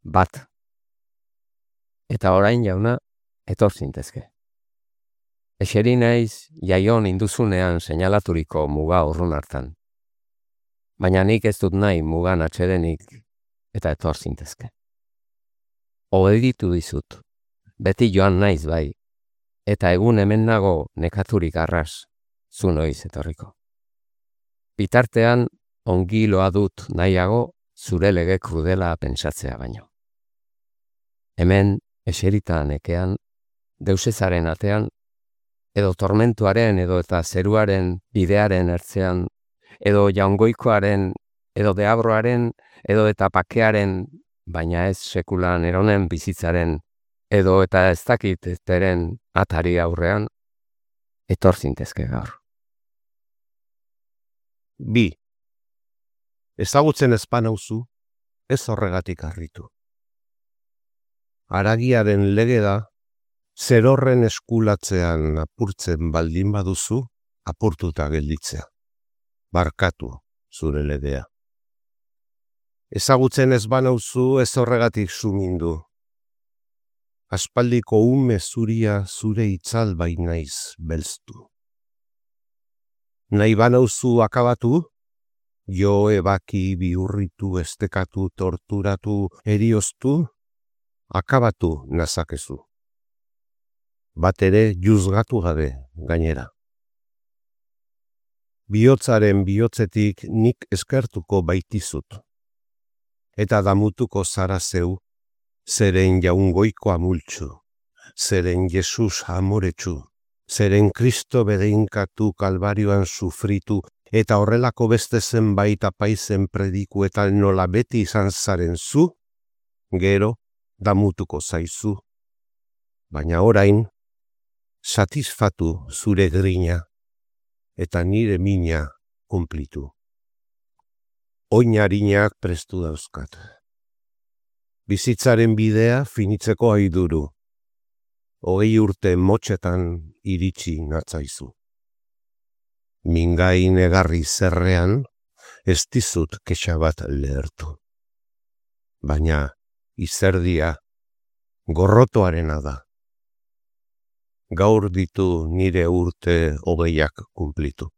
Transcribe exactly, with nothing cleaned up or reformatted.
bat. Eta orain jauna, etor zintezke. Eseri naiz jaion induzunean seinalaturiko muga urrun hartan. Baina nik ez dut nahi mugan atxedenik eta etor zintezke. Obeditu dizut, beti joan naiz bai, eta egun hemen nago nekaturik arras, zu noiz etorriko. Bitartean ongi loa dut nahiago zure lege krudela pentsatzea baino. Hemen eserita nekean, deusezaren atean, edo tormentuaren edo eta zeruaren bidearen ertzean, edo jaungoikoaren, edo deabroaren, edo eta pakearen, baina ez sekulan eronen bizitzaren, edo eta ez dakit ezteren atari aurrean, etor zintezke gaur. Bi. Ezagutzen ezpanauzu, ez horregatik harritu. Haragiaren lege da, zerorren eskulatzean apurtzen baldin baduzu, apurtuta gelditzea. Barkatu zure legea. Ezagutzen ez banauzu ez horregatik sumindu. Aspaldiko ume zuria zure itzal bainaiz belztu. Nahi banauzu akabatu, jo ebaki bihurritu, estekatu, torturatu, erioztu, akabatu nazakezu. Bat ere juzgatu gabe gainera. Bihotzaren bihotzetik nik eskertuko baitizut. Eta damutuko zara zeu, zeren jaungoiko amultxu, zeren Jesus amoretsu, zeren Kristo bedeinkatu kalbarioan sufritu, eta horrelako beste zenbait apaizen predikuetan nola beti izan zaren zu, gero damutuko zaizu. Baina orain, satisfatu zure grina, eta nire mina kumplitu. Oinarinak prestu dauzkat. Bizitzaren bidea finitzeko aiduru. Hogei urte motxetan iritsi natzaizu. Mingain egarri zerrean, ez dizut kexa bat lehertu. Baina izerdia gorrotoarena da. Gaur ditu nire urte hogeiak kumplitu.